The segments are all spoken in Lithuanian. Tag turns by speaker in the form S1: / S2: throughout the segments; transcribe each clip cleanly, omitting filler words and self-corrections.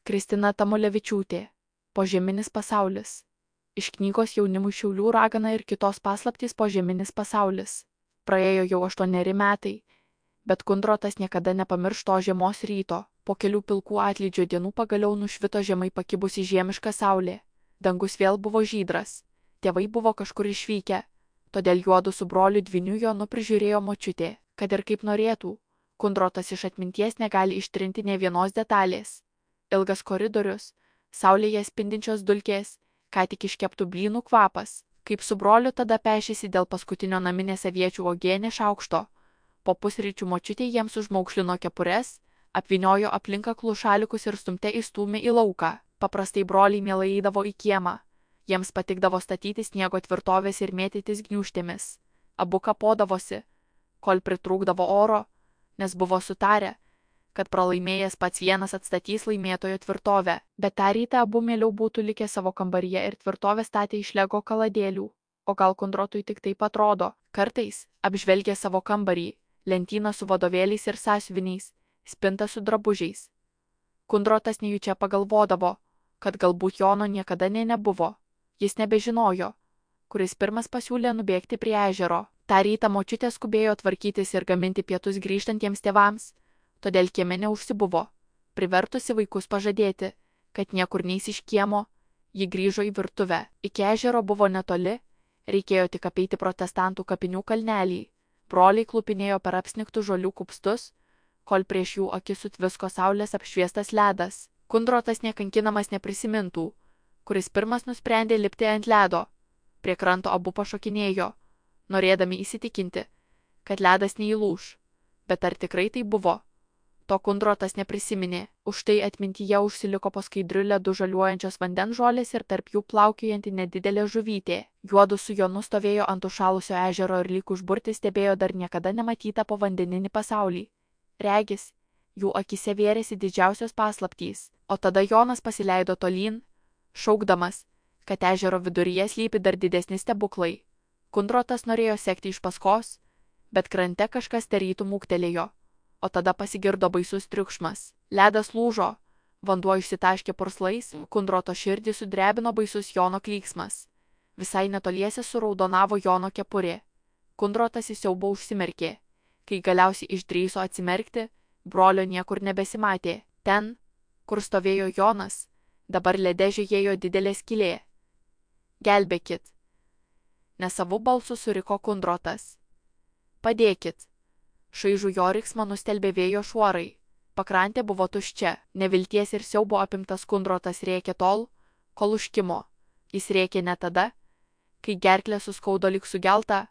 S1: Kristina Tamulevičiūtė. Požeminis pasaulis. Iš knygos Jaunimui Šiaulių ragana ir kitos paslaptys Požeminis pasaulis. Praėjo jau 8 metai, bet Kundrotas niekada nepamirš to žiemos ryto. Po kelių pilkų atlydžio dienų pagaliau nušvito žemai pakibusi žiemiška saulė. Dangus vėl buvo žydras. Tėvai buvo kažkur išvykę, todėl juodu su broliu dvyniu Jonu prižiūrėjo močiutė. Kad ir kaip norėtų, Kundrotas iš atminties negali ištrinti nė vienos detalės. Ilgas koridorius, saulėje spindinčios dulkės, ką tik iškeptų blynų kvapas, kaip su broliu tada pešėsi dėl paskutinio naminės aviečių uogienės šaukšto. Po pusryčių močiutė jiems užmaukšlino kepures, apvyniojo aplinką klušalikus ir stumte įstūmė į lauką. Paprastai broliai mielai eidavo į kiemą. Jiems patikdavo statyti sniego tvirtovės ir mėtytis gniūžtėmis. Abu kapodavosi, kol pritrūkdavo oro, nes buvo sutarę, kad pralaimėjęs pats vienas atstatys laimėtojo tvirtovę. Bet tą rytą abu mieliau būtų likę savo kambaryje ir tvirtovę statė iš lego kaladėlių. O gal Kundrotui tik taip atrodo. Kartais, apžvelgė savo kambarį, lentyną su vadovėliais ir sąsiuviniais, spintą su drabužiais, Kundrotas nejučia pagalvodavo, kad galbūt Jono niekada nebuvo. Jis nebežinojo, kuris pirmas pasiūlė nubėgti prie ežero. Ta rytą močiutė skubėjo tvarkytis ir gaminti pietus grįžtantiems tėvams, todėl kieme neužsibuvo, privertusi vaikus pažadėti, kad niekur neis iš kiemo. Ji grįžo į virtuvę. Iki ežero buvo netoli, reikėjo tik apeiti protestantų kapinių kalnelį. Broliai klupinėjo per apsnigtų žolių kupstus, kol prieš jų akis sutvisko saulės apšviestas ledas. Kundrotas nekankinamas neprisimintų, kuris pirmas nusprendė lipti ant ledo. Prie kranto abu pašokinėjo, norėdami įsitikinti, kad ledas neįlūš. Bet ar tikrai tai buvo? To Kundrotas neprisiminė, už tai atmintyje užsiliko po skaidriu ledu žaliuojančios vandens žolės ir tarp jų plaukiojanti nedidelė žuvytė. Juodu su Jonu stovėjo ant užšalusio ežero ir lyg užburti stebėjo dar niekada nematytą povandeninį pasaulį. Regis, jų akise vėrėsi didžiausios paslaptys, o tada Jonas pasileido tolyn, šaukdamas, kad ežero viduryje slypi dar didesni stebuklai. Kundrotas norėjo sekti iš paskos, bet krante kažkas tarytum ūktelėjo, o tada pasigirdo baisus triukšmas. Ledas lūžo, vanduo išsitaškė purslais, Kundroto širdį sudrebino baisus Jono klyksmas. Visai netoliese suraudonavo Jono kepurė. Kundrotas į siaubą užsimerkė. Kai galiausiai išdrįso atsimerkti, brolio niekur nebesimatė. Ten, kur stovėjo Jonas, dabar lede žiojėjo didelė skylė. Gelbėkit! Nesavu balsu suriko Kundrotas. Padėkit! Šaižų jo riksmą nustelbė vėjo šuorai. Pakrantė buvo tuščia. Nevilties ir siaubo apimtas Kundrotas rėkė tol, kol užkimo. Jis rėkė ne tada, kai gerklė suskaudo lyg sugelta,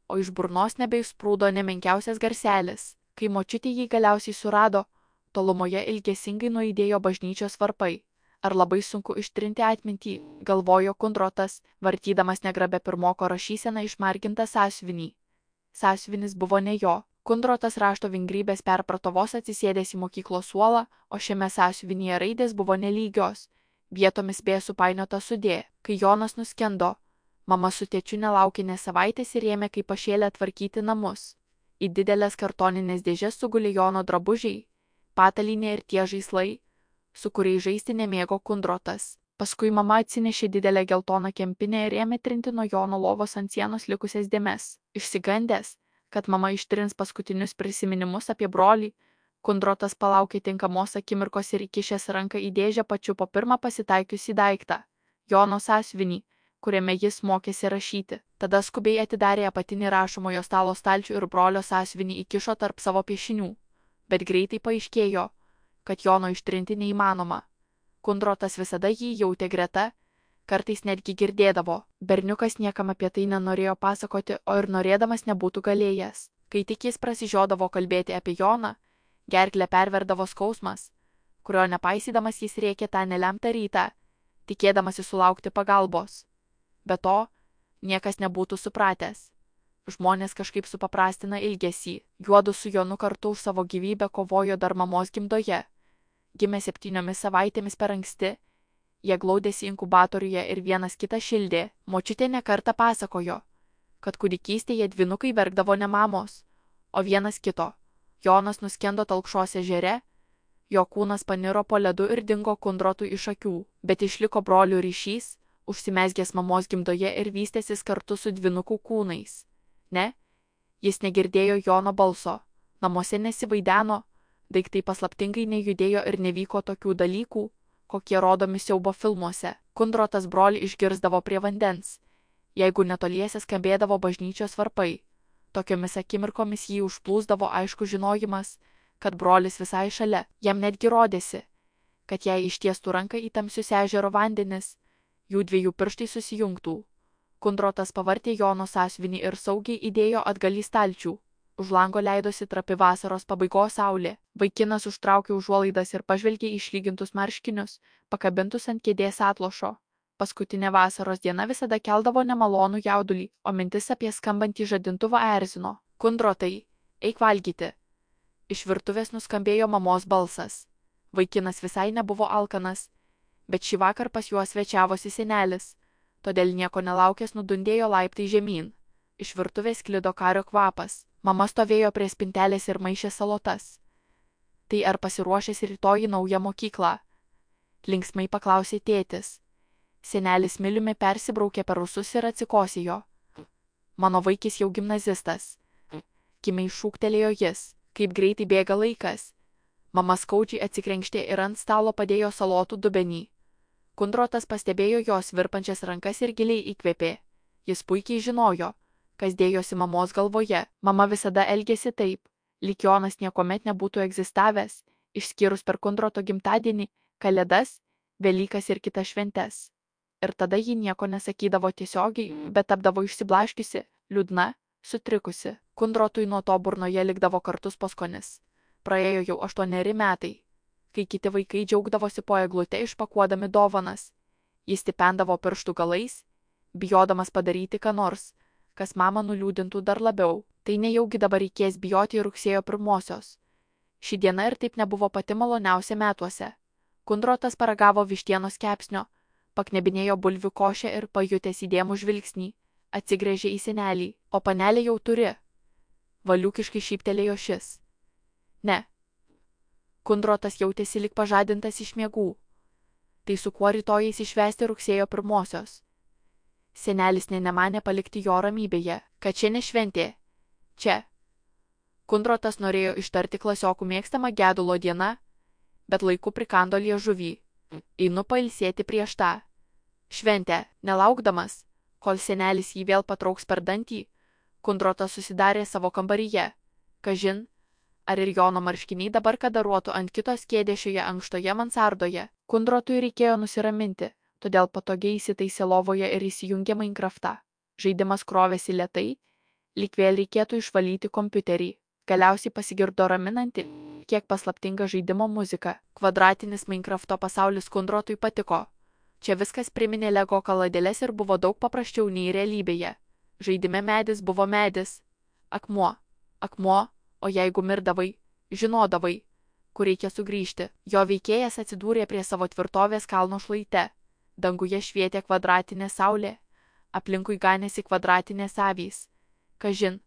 S1: o iš burnos nebeišsprūdo nemenkiausias garselis. Kai močiutė jį galiausiai surado, tolumoje ilgesingai nuaidėjo bažnyčios varpai. Ar labai sunku ištrinti atmintį, galvojo Kundrotas, vartydamas negrabę pirmoko rašyseną išmargintą sąsiuvinį. Sąsiuvinis buvo ne jo. Kundrotas rašto vingrybės perprato vos atsisėdęs į mokyklos suolą, o šiame sąsiuvinyje raidės buvo nelygios, vietomis bė supainiota sudė. Kai Jonas nuskendo, mama su tėčiu nelaukė nė savaitės ir ėmė kaip pašėlę tvarkyti namus. Į didelės kartoninės dėžes sugulė Jono drabužiai, patalynė ir tie žaislai, su kuriais žaisti nemėgo Kundrotas. Paskui mama atsinešė didelę geltoną kempinę ir ėmė trinti nuo Jono lovos ant sienos likusias dėmes. Išsigandęs, kad mama ištrins paskutinius prisiminimus apie brolį, Kundrotas palaukė tinkamos akimirkos ir įkišęs ranką į dėžę pačiupo pirmą pasitaikiusį daiktą – Jono sąsiuvinį, kuriame jis mokėsi rašyti. Tada skubiai atidarė apatinį rašomojo stalo stalčių ir brolio sąsiuvinį įkišo tarp savo piešinių. Bet greitai paaiškėjo, kad Jono ištrinti neįmanoma. Kundrotas visada jį jautė greta, kartais netgi girdėdavo. Berniukas niekam apie tai nenorėjo pasakoti, o ir norėdamas nebūtų galėjęs. Kai tik jis prasižiodavo kalbėti apie Joną, gerklę perverdavo skausmas, kurio nepaisydamas jis rėkė tą nelemtą rytą, tikėdamasi sulaukti pagalbos. Be to, niekas nebūtų supratęs. Žmonės kažkaip supaprastina ilgesį. Juodu su Jonu kartu už savo gyvybę kovojo dar mamos gimdoje. Gimė 7 savaitėmis per anksti. Jie glaudėsi inkubatoriuje ir vienas kitą šildė. Močiutė nekartą pasakojo, kad kūdikystėje dvynukai verkdavo ne mamos, o vienas kito. Jonas nuskendo Talkšos ežere, Jo kūnas paniro po ledu ir dingo Kundrotui iš akių, bet išliko brolių ryšys, užsimezgęs mamos gimdoje ir vystęsis kartu su dvynukų kūnais. Ne, jis negirdėjo Jono balso, namuose nesivaideno, daiktai paslaptingai nejudėjo ir nevyko tokių dalykų, kokie rodomi siaubo filmuose. Kundrotas brolį išgirsdavo prie vandens, jeigu netoliese skambėdavo bažnyčios varpai. Tokiomis akimirkomis jį užplūsdavo aišku žinojimas, kad brolis visai šalia. Jam netgi rodėsi, kad jei ištiestų ranką į tamsius ežero vandenis, jų dviejų pirštai susijungtų. Kundrotas pavartė Jono sąsiuvinį ir saugiai įdėjo atgal į stalčių. Už lango leidosi trapi vasaros pabaigos saulė. Vaikinas užtraukė užuolaidas ir pažvelgė į išlygintus marškinius, pakabintus ant kėdės atlošo. Paskutinė vasaros diena visada keldavo nemalonų jaudulį, o mintis apie skambantį žadintuvą erzino. Kundrotai, eik valgyti. Iš virtuvės nuskambėjo mamos balsas. Vaikinas visai nebuvo alkanas, bet šį vakar pas juos svečiavosi senelis, todėl nieko nelaukęs nudundėjo laiptai žemyn. Iš virtuvės sklido kario kvapas. Mama stovėjo prie spintelės ir maišė salotas. Tai ar pasiruošęs rytoj į naują mokyklą? Linksmai paklausė tėtis. Senelis miliumi persibraukė per ūsus ir atsikosėjo. Mano vaikis jau gimnazistas. Kimiai šūktelėjo jis, kaip greitai bėga laikas. Mama skaudžiai atsikrenkštė ir ant stalo padėjo salotų dubenį. Kundrotas pastebėjo jos virpančias rankas ir giliai įkvėpė. Jis puikiai žinojo, kas dėjosi mamos galvoje. Mama visada elgėsi taip, lyg Jonas niekuomet nebūtų egzistavęs, išskyrus per Kundroto gimtadienį, Kalėdas, Velykas ir kitas šventes. Ir tada ji nieko nesakydavo tiesiogiai, bet tapdavo išsiblaškiusi, liūdna, sutrikusi. Kundrotui nuo to burnoje likdavo kartus paskonis. Praėjo jau 8 metai, kai kiti vaikai džiaugdavosi po eglute išpakuodami dovanas. Jis stipendavo pirštų galais, bijodamas padaryti ką nors, kas mamą nuliūdintų dar labiau. Tai nejaugi dabar reikės bijoti rugsėjo 1-osios. Ši diena ir taip nebuvo pati maloniausia metuose. Kundrotas paragavo vištienos kepsnio, paknebinėjo bulvių košę ir pajutęs įdėmų žvilgsnį, atsigręžė į senelį. O panelė jau turi. Valiūkiškai šyptelėjo šis. Ne. Kundrotas jautėsi lyg pažadintas iš miegų. Tai su kuo rytojais išvesti rugsėjo 1-osios. Senelis nemanė palikti jo ramybėje, kad čia ne šventė. Čia. Kundrotas norėjo ištarti klasiokų mėgstamą gedulo dieną, bet laiku prikando liežuvį. Einu pailsėti prieš tą šventę, nelaukdamas, kol senelis jį vėl patrauks per dantį. Kundrotas susidarė savo kambaryje. Kažin, ar ir Jono marškiniai dabar kadaruotų ant kitos kėdės šioje ankštoje mansardoje. Kundrotui reikėjo nusiraminti, todėl patogiai įsitaisė lovoje ir įsijungė Minecraftą. Žaidimas krovėsi lėtai, lyg vėl reikėtų išvalyti kompiuterį. Galiausiai pasigirdo raminanti, kiek paslaptinga žaidimo muzika. Kvadratinis Minecrafto pasaulis Kundrotui patiko. Čia viskas priminė Lego kaladėles ir buvo daug paprasčiau nei realybėje. Žaidime medis buvo medis, akmuo, akmuo, o jeigu mirdavai, žinodavai, kur reikia sugrįžti. Jo veikėjas atsidūrė prie savo tvirtovės kalno šlaite. Danguje švietė kvadratinė saulė, aplinkui ganėsi kvadratinės avys. Kažin,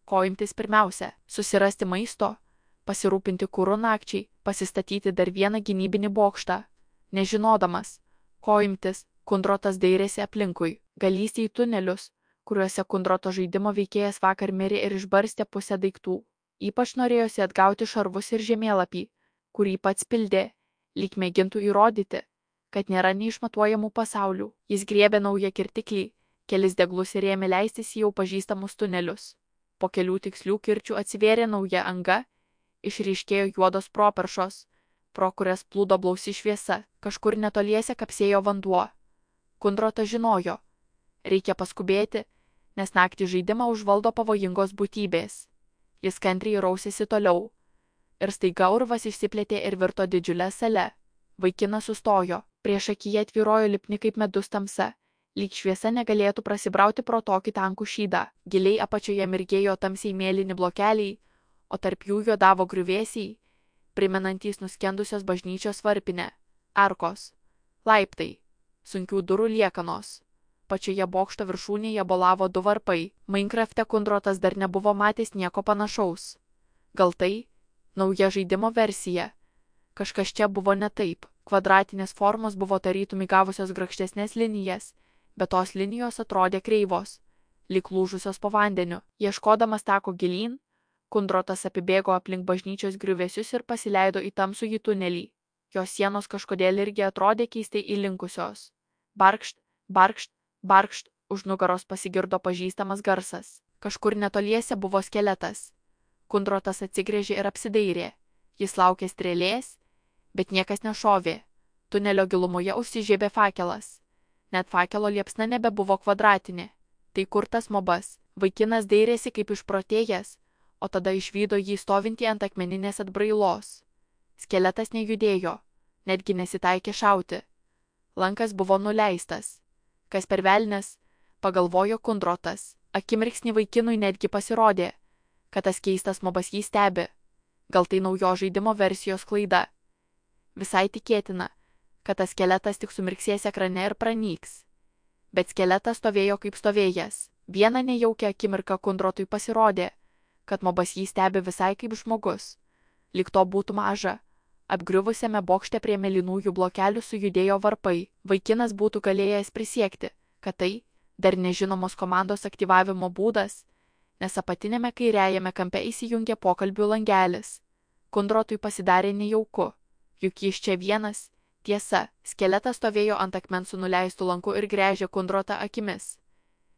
S1: ko imtis pirmiausia - susirasti maisto, pasirūpinti kuru nakčiai, pasistatyti dar vieną gynybinį bokštą. Nežinodamas, ko imtis, Kundrotas dairėsi aplinkui. Galįsti į tunelius, kuriuose Kundroto žaidimo veikėjas vakar mirė ir išbarstė pusę daiktų. Ypač norėjosi atgauti šarvus ir žemėlapį, kurį pats pildė, lyg mėgintų įrodyti, kad nėra neišmatuojamų pasaulių. Jis griebė naują kirtiklį, kelis deglus ir ėmė leistis į jau pažįstamus tunelius. Po kelių tikslių kirčių atsivėrė nauja anga, išryškėjo juodos properšos, pro kurias plūdo blausi šviesa. Kažkur netoliese kapsėjo vanduo. Kundrotas žinojo, reikia paskubėti, nes naktį žaidimą užvaldo pavojingos būtybės. Jis kantriai rausėsi toliau. Ir staiga urvas išsiplėtė ir virto didžiulę salę. Vaikinas sustojo, prieš akiją tvyrojo lipni kaip medus tamsa, lyg šviesa negalėtų prasibrauti pro tokį tankų šydą. Giliai apačioje mirgėjo tamsiai mėlyni blokeliai, o tarp jų juodavo griuvėsiai, primenantys nuskendusios bažnyčios varpinę. Arkos, laiptai, sunkių durų liekanos. Pačioje bokšto viršūnėje bolavo 2 varpai. Minecrafte Kundrotas dar nebuvo matęs nieko panašaus. Gal tai nauja žaidimo versija. Kažkas čia buvo ne taip. Kvadratinės formos buvo tarytum įgavusios grakštesnės linijas, bet tos linijos atrodė kreivos, lyg lūžusios po vandeniu. Ieškodamas tako gilyn, Kundrotas apibėgo aplink bažnyčios griuvėsius ir pasileido į tamsųjį tunelį. Jos sienos kažkodėl irgi atrodė keistai įlinkusios. Barkšt, barkšt, barkšt, už nugaros pasigirdo pažįstamas garsas. Kažkur netoliese buvo skeletas. Kundrotas atsigręžė ir apsidairė. Jis laukė strėlės, bet niekas nešovė. Tunelio gilumoje užsižiebė fakelas. Net fakelo liepsna nebebuvo kvadratinė. Tai kur tas mobas? Vaikinas dairėsi kaip išprotėjęs, o tada išvydo jį stovintį ant akmeninės atbrailos. Skeletas nejudėjo, netgi nesitaikė šauti. Lankas buvo nuleistas. Kas per velnias, pagalvojo Kundrotas. Akimirksnį vaikinui netgi pasirodė, kad tas keistas mobas jį stebi. Gal tai naujo žaidimo versijos klaida. Visai tikėtina, kad tas skeletas tik sumirksės ekrane ir pranyks. Bet skeletas stovėjo kaip stovėjęs. Vieną nejaukią akimirką Kundrotui pasirodė, kad mobas jį stebi visai kaip žmogus. Lyg to būtų maža. Apgriuvusiame bokšte prie mėlynųjų blokelių sujudėjo varpai. Vaikinas būtų galėjęs prisiekti, kad tai dar nežinomos komandos aktyvavimo būdas, nes apatinėme kairiajame kampe įsijungė pokalbių langelis. Kundrotui pasidarė nejauku, juk jis čia vienas. Tiesa, skeletas stovėjo ant akmens su nuleistu lanku ir gręžė Kundrotą akimis.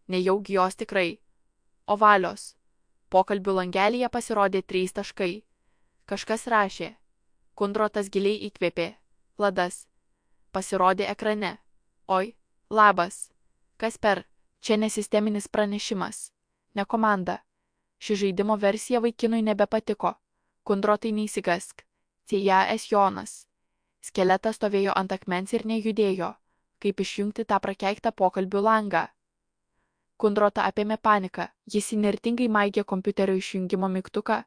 S1: Nejaugi jos tikrai. Ovalios. Pokalbių langelyje pasirodė 3 taškai. Kažkas rašė. Kundrotas giliai įkvėpė. Vladas. Pasirodė ekrane. Oi, labas. Kas per? Čia nesisteminis pranešimas. Ne komanda. Ši žaidimo versija vaikinui nebepatiko. Kundrotai neįsigask. C.J.S. Jonas. Skeletas stovėjo ant akmens ir nejudėjo. Kaip išjungti tą prakeiktą pokalbių langą? Kundrotą apėmė panika. Jis įnirtingai maigė kompiuterio išjungimo mygtuką,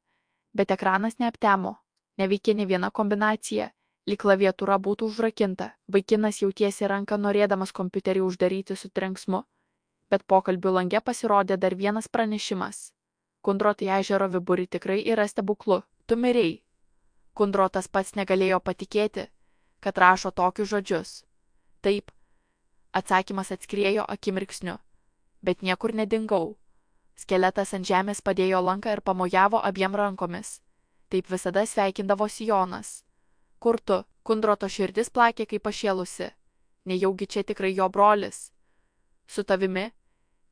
S1: bet ekranas neaptemo. Neveikė ne viena kombinacija, lyg klaviatūra būtų užrakinta. Vaikinas jautėsi ranką norėdamas kompiuterį uždaryti su trenksmu, bet pokalbių lange pasirodė dar vienas pranešimas. Kundrotai ežero viburį tikrai yra stebuklu. Tu mirei. Kundrotas pats negalėjo patikėti, kad rašo tokius žodžius. Taip. Atsakymas atskriejo akimirksniu. Bet niekur nedingau. Skeletas ant žemės padėjo lanką ir pamojavo abiem rankomis. Taip visada sveikindavosi Jonas. Kur tu? Kundroto širdis plakė kaip pašėlusi. Nejaugi čia tikrai jo brolis. Su tavimi,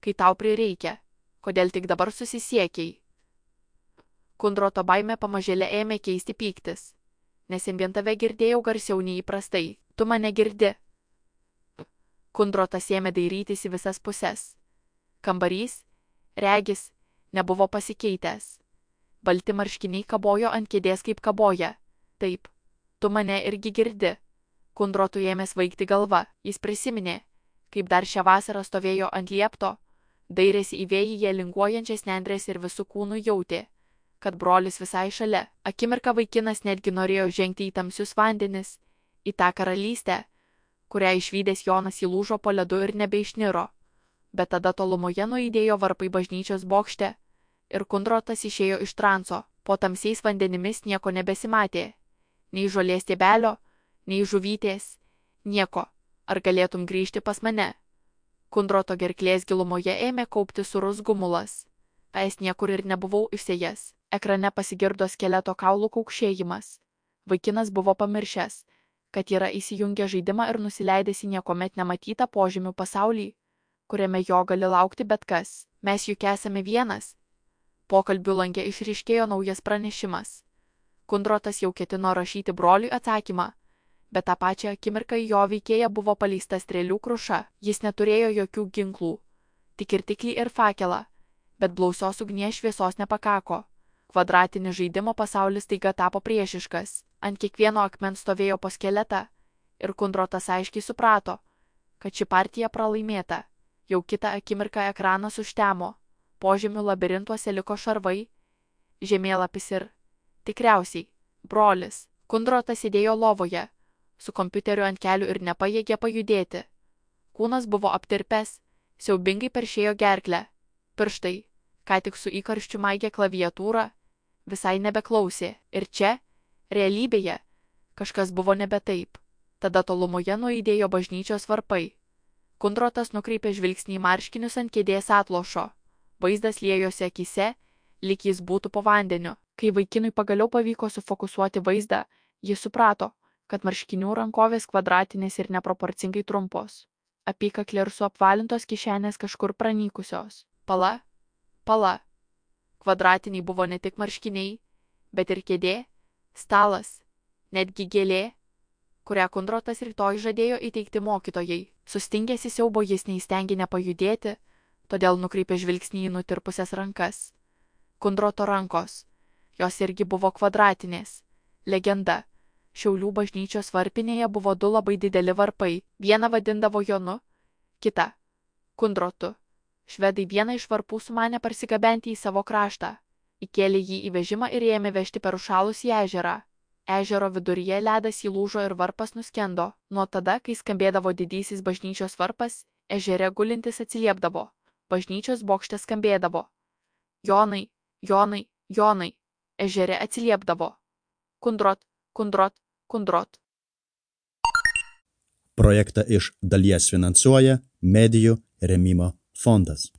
S1: kai tau prireikia. Kodėl tik dabar susisiekiai? Kundroto baimė pamažėlė ėmė keisti pyktis. Nes vien tave girdėjau garsiau nei įprastai. Tu mane girdi. Kundrotas ėmė dairytis į visas puses. Kambarys, regis, nebuvo pasikeitęs. Balti marškiniai kabojo ant kėdės kaip kaboja. Taip, tu mane irgi girdi. Kundrotui ėmė svaigti galva. Jis prisiminė, kaip dar šią vasarą stovėjo ant liepto, dairėsi į vėjyje linguojančias nendrės ir visų kūnų jautė, kad brolis visai šalia. Akimirką vaikinas netgi norėjo žengti į tamsius vandenis, į tą karalystę, kurią išvydęs Jonas įlūžo po ledu ir nebeišniro. Bet tada tolumoje nuaidėjo varpai bažnyčios bokšte ir Kundrotas išėjo iš transo. Po tamsiais vandenimis nieko nebesimatė. Nei žolės stiebelio, nei žuvytės, nieko. Ar galėtum grįžti pas mane? Kundroto gerklės gilumoje ėmė kaupti surus gumulas. Es niekur ir nebuvau išsėjęs. Ekrane pasigirdo skeleto kaulų kaukšėjimas. Vaikinas buvo pamiršęs, kad yra įsijungę žaidimą ir nusileidęs į niekuomet nematytą požemių pasaulį, kuriame jo gali laukti bet kas. Mes juk esame vienas. Pokalbių lange išryškėjo naujas pranešimas. Kundrotas jau ketino rašyti broliui atsakymą, bet tą pačią akimirką į jo veikėją buvo paleista strėlių kruša. Jis neturėjo jokių ginklų, tik irtiklį ir fakelą, bet blausios ugnies šviesos nepakako. Kvadratinis žaidimo pasaulis taiga tapo priešiškas. Ant kiekvieno akmens stovėjo po skeletą ir Kundrotas aiškiai suprato, kad ši partija pralaimėta. Jau kitą akimirką ekranas užtemo. Požemių labirintuose liko šarvai, žemėlapis ir, tikriausiai, brolis. Kundrotas sėdėjo lovoje, su kompiuteriu ant kelių ir nepajėgė pajudėti. Kūnas buvo aptirpęs, siaubingai peršėjo gerklę. Pirštai, ką tik su įkarščiu maigė klaviatūrą, visai nebeklausė. Ir čia, realybėje, Kažkas buvo nebe taip. Tada tolumoje nuaidėjo bažnyčios varpai. Kundrotas nukreipė žvilgsnį į marškinius ant kėdės atlošo. Vaizdas liejosi akyse, lyg jis būtų po vandeniu. Kai vaikinui pagaliau pavyko sufokusuoti vaizdą, jis suprato, kad marškinių rankovės kvadratinės ir neproporcingai trumpos. Apykaklė ir suapvalintos kišenės kažkur pranykusios. Pala. Kvadratiniai buvo ne tik marškiniai, bet ir kėdė, stalas, netgi gėlė, kurią Kundrotas rytoj žadėjo įteikti mokytojai. Sustingęs į siaubo jis neįstengė nepajudėti, todėl nukreipė žvilgsnį į nutirpusias rankas. Kundroto rankos. Jos irgi buvo kvadratinės. Legenda. Šiaulių bažnyčios varpinėje buvo 2 labai dideli varpai. Vieną vadindavo Jonu, kitą Kundrotu. Švedai vieną iš varpų sumanė parsigabenti į savo kraštą. Įkėlė jį į vežimą ir ėmė vežti per užšalusį ežerą. Ežero viduryje ledas įlūžo ir varpas nuskendo. Nuo tada, kai skambėdavo didysis bažnyčios varpas, ežere gulintis atsiliepdavo. Bažnyčios bokšte skambėdavo. Jonai, Jonai, Jonai. Ežere atsiliepdavo. Kundrot.
S2: Projektą iš dalies finansuoja Medijų rėmimo fondas.